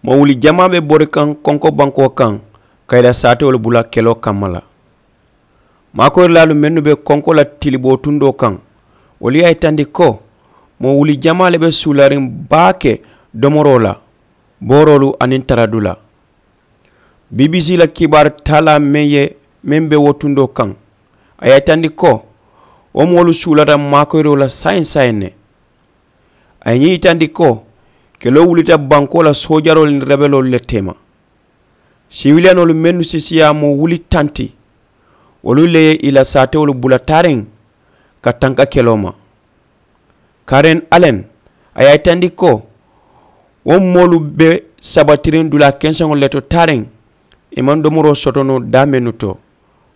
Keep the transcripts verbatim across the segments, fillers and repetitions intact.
Moo wuli jamaa be bori kaŋ konko bankoo kaŋ ka i la saatewolu bula keloo kamma la. Maakoyiralaalu mennu be konko la tiliboo tundoo kaŋ, wolu ye a yitandi ko moo wuli jamaa le be suulariŋ baake domoroo la, booroolu aniŋ taradulaa. Bbc la kibaari taalaa meŋ ye meŋ be wo tundoo kaŋ, a ye a yitandi ko wo moolu suulata maakoyiroo la saayiŋ saayiŋ ne. A ye ñiŋ yitandi ko keloo wulita bankoo la soojaroolu niŋ rebeloolu le teema. Siwiliyanoolu mennu si siyaa moo wuli tanti, wolu le ye i la saatewolu bula taariŋ ka tanka keloo ma. Karen alen, a ye a yitandi ko wo moolu be sabatiriŋ dulaa kenseŋolu le to taariŋ, i maŋ domoroo soto noo daa mennu to,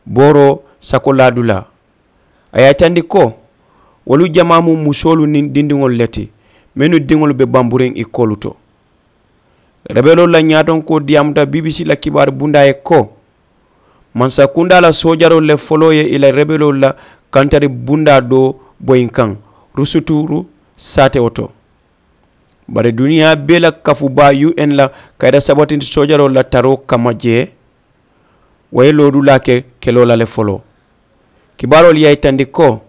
booroo sakolaa dulaa. A ye a yitandi ko wolu jamaa mu musoolu niŋ dindiŋolu le ti, mennu diŋolu be bamburiŋ i koolu to. Rebeloolu la ñaatonkoo diyaamuta bbc la kibaari bundaa ye ko mansakundaa la soojaroolu le foloo ye i la rebeloolu la kantari bundaa doo boyiŋ kaŋ, rusuturu saatewo to. Bari duniyaa bee la kafu baa un la kayita sabatindi soojaroolu la taroo kamma jee, wo ye loodulaa ke keloo la le foloo. Kibaaroolu ye a yitandi ko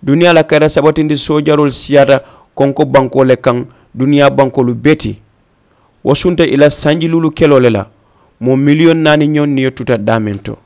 duniyaa la kayita sabatindi soojaroolu siyaata konko bankoo le kaŋ, duniyaa bankoolu bee ti. Wo sunta i la sanjiluulu keloo le la, moo miliyoŋ naani ñoŋ niyo tuta daameŋ to.